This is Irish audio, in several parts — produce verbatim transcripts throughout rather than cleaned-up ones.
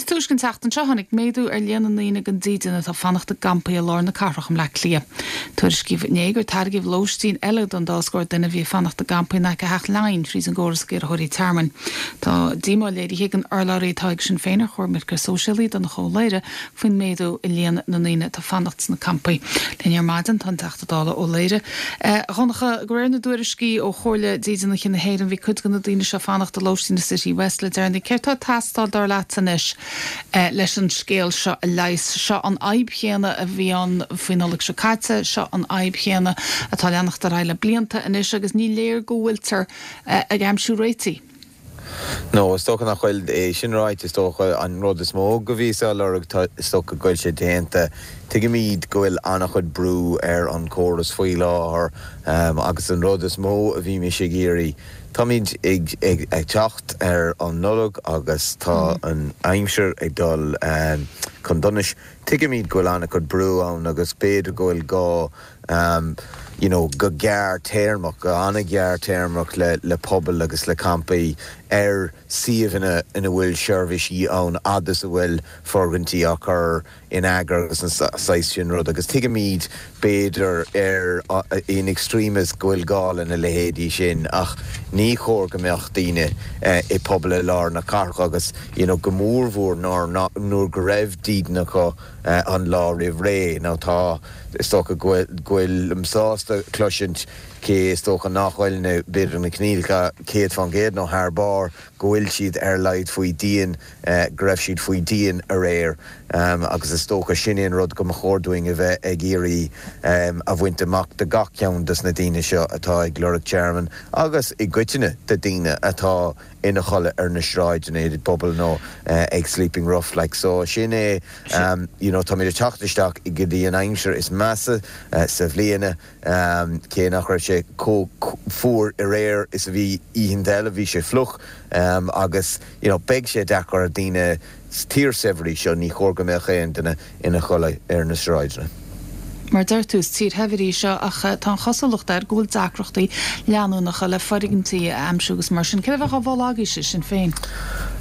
Níos túisce an tseachtain seo tháinig méadú ar líon na ndaoine gan dídean atá ag fanacht i gcampaí i lár na cathrach i mBleá Cliath. Tuairiscíodh inné gur tairgeadh lóistín eile don dá scór duine a bhí ag fanacht i gcampaí in aice Theach Laighean fríd an gcóras ag iarrthóirí tearmainn. Tá díomá léirithe ag an urlabhraí atá ag Sinn Féin ar choimirce sóisialaí Donncha Ó Laoghaire faoin méadú i líon na ndaoine atá ag fanacht sna campaí. Linn ar maidin tá an Teachta Dála Ó Laoghaire. Dhonncha de réir na dtuairiscí ó Chomhairle Dídeanaithe na hÉireann bhí cuid de na daoine seo ag fanacht i lóistín na City West le deireanaí. Céard atá ag teastáil dar leat anois leis an scéal seo a leigheas. Seo an fhadhb chéanna a bhí ann faoin Nollaig seo caite, seo an fhadhb chéanna atá ag leanacht ar aghaidh le blianta anois agus ní léir go bhfuiltear ag aimsiú réitigh. No, is dócha nach bhfuil é sin ráite is dócha an rud is mó go bhí á lorg is dócha go bhfuil sé déanta. Tuigimid go bhfuil an-chuid brú ar an córas faoi láthair um, agus an rud is mó a bhí mé ag iarraidh. Táimid ag, ag, ag teacht ar an Nollaig agus tá mm. an aimsir ag dul um, chun donais. Tuigimid go bhfuil an-chuid brú ann agus b'fhéidir go bhfuil gá um, you know, go gearrthéarmach go an-ghearrthéarmach le, le pobal agus le campaí ar suíomhanna ina bhfuil seirbhísí ann agus a bhfuil foirgintí á chur in eagar agus an saghas sin rud agus tuigimid b'fhéidir ar in extremis go bhfuil gá lena leithéidí sin ach ní chóir go mbeadh daoine eh, i bpobal i lár na cathrach agus you know, go mórmhór nuair go raibh dídean acu eh, an lá roimh ré nó tá is dócha go bhfuil sásta cloisint cé is dócha nach bhfuil na b'fhéidir na coinníollacha céad faoin gcéad nó thar barr go bhfuil siad ar leid faoi díon eh, go raibh siad faoi díon aréir um, agus is dócha sin an rud go mba chóir dúinn a bheith ag iarraidh um, a bhaint amach de gach ceann des na daoine seo atá ag lorg tearmann agus i gcoitinne de daoine atá ina chodladh ar na sráideanna i bpobal nó uh, ag sleeping rough like so sin é um, you know, tá mé teacht isteach i go dtí an aimsir is measa uh, sa bhliain um, cé nach raibh sé chomh fuar aréir is a bhí oícheanta eile bhí sé fliuch um, agus you know, beidh sé deacair ar daoine tír saibhir í seo ní chóir go mbeadh aon duine ina chodladh ar na sráideanna. Mar deir tú is tír shaibhir í seo ach tá an chosúlacht air go bhfuil deacrachtaí leanúnacha le foirgintí a aimsiú agus mar sin cé bheith á bhlágaí sé sin féin.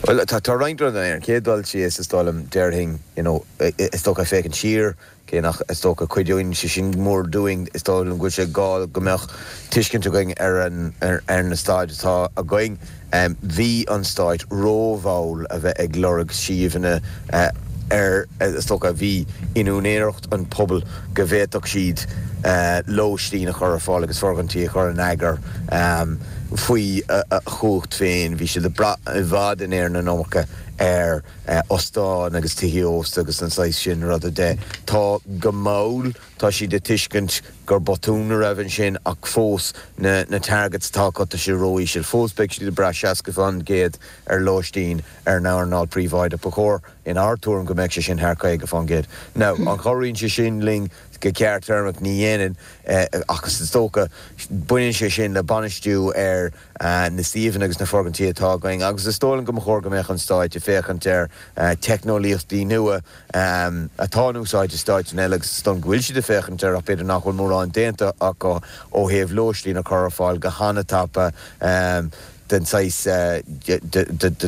Well tá tá roinnt rud ar an chéad dul síos is dóigh liom déarfainn you know, is dócha féachaint siar cé nach is dócha cuidíonn sé sin mór dúinn is dóigh liom go bhfuil sé gá go mbeadh tuiscint againn ar an ar, ar na staid atá againn. Um, bhí an stáit rómhall a bheith ag lorg suíomhanna uh, ar is dócha bhí in úinéireacht an pobal go bhféadfadh siad uh, lóistín a chur ar fáil agus foirgintí a chur in eagar um, faoi a, a chumhacht féin, bhí siad i bhfad in ar na nócha ar uh, óstáin agus tithe ósta agus an saghas sin ruda de. Tá go mall tá siad ag tuiscint gur botún a raibh ansin ach fós na, na targets atá acu sé ró-íseal fós beidh siad ag brath seasca faoin gcéad ar lóistín ar an earnáil príobháideach ba chóir in ár dtuairim go mbeidh sé sin thar caoga faoin gcéad. Now an gcabhraíonn sé sin linn go gearrthéarmach ní dhéanann eh, agus is dócha baineann sé sin le bainistiú ar uh, na suíomhanna agus na foirgintí atá againn agus is dóigh liom go mba chóir go mbeadh an stáit ag féachaint ar uh, teicneolaíochtaí nua um, atá in úsáid i stáit eile agus is dóigh go bhfuil siad ag féachaint ar ach b'fhéidir nach bhfuil mórán déanta acu ó thaobh lóistín a chur ar fáil go han-tapa um, den saghas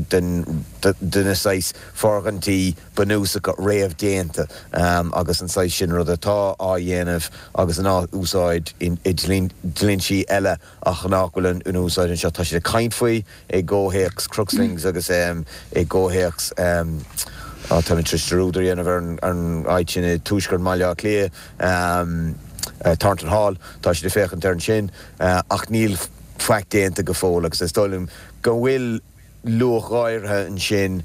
den na saghas foirgintí bunúsacha réamhdhéanta um, agus an saghas sin rud atá á dhéanamh agus an á úsáid i dlínsí eile ach nach bhfuil an úsáid anseo tá siad ag caint faoi i gcomhthéacs Crookslinks agus um, i gcomhthéacs um, tá rúidir dhéanamh ar an áit sin i tuaisceart Bhaile Átha Cliath um, uh, Thornton Hall tá siad ag féachaint ar an sin uh, ach níl faic déanta go fóill agus is dóigh liom go bhfuil luach áirithe ansin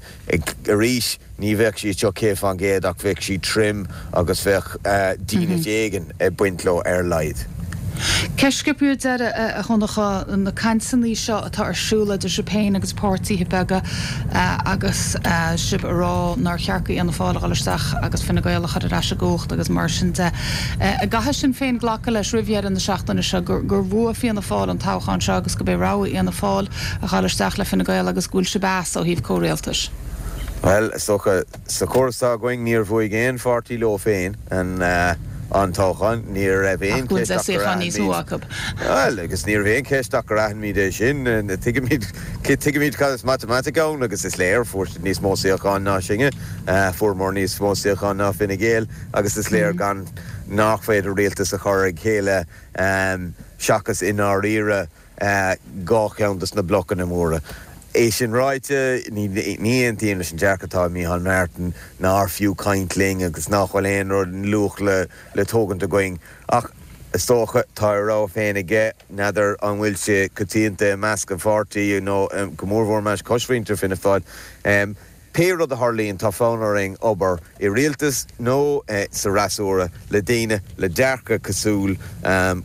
arís ní bheadh sí seo céad faoin gcéad ach bheadh sí trim agus bheadh uh, dínit éigin ag baint leo ar a laghad. Ceist deiridh a Dhonncha na cainteanna seo atá ar siúl idir sibh féin agus páirtithe beaga agus sibh ag rá nár cheart do Fhianna Fáil a dhul isteach agus Fine Gael a chur ar ais i gcumhacht agus mar sin de. Caithfidh Sinn Féin glacadh leis roimh dheireadh na seachtaine seo gur bhuaigh Fianna Fáil an toghchán seo agus gurb é rogha Fhianna Fáil a dhul isteach le Fine Gael agus go bhfuil sibh as ó thaobh comhrialtais. Well socha sa chóras againn níor bhuaigh aon pháirtí leo féin an uh, an toghchán, ní raibh aon cheist ach gur aithin Bhuel, agus ní raibh aon cheist ach gur aithin muid é sin. Tuigimid tuigimid cad is matamaitic ann agus is léir fuair siad níos mó suíochán ná sinne, fuaireamar níos mó suíochán ná Fine Gael agus is léir gan nach féidir rialtas a chur ag chéile seachas i ndáiríre dhá cheann dos na blocanna móra. É sin ráite, ní aontaím leis an dearcadh atá ag Micheál Martin nár fiú caint linn agus nach bhfuil aon rud luach le le tógaint againn. Ach is dócha tá a rogha féin aige, n'fheadar an bhfuil sé coitianta i measc an pháirtí nó go mórmhór i measc cosmhuintir Fianna Fáil. Pé rud a tharlaíonn, tá fonn orainn obair i rialtas nó sa fhreasúra le daoine le dearcadh cosúil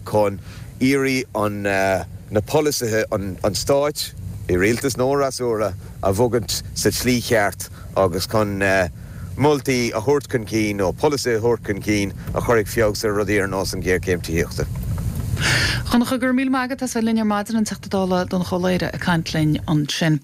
chun iarraidh an na polasaithe an stáit, i rialtas nó fhreasúra, a bhogaint sa tslí cheart agus chun moltaí a thabhairt chun cinn nó polasaithe a thabhairt chun cinn a chuirfidh feabhas ar rudaí ar nós an ghéarchéim tithíochta. Donncha, go raibh míle maith agat as bheith linn ar maidin, an Teachta Dála Donncha Ó Laoghaire ag caint linn ansin.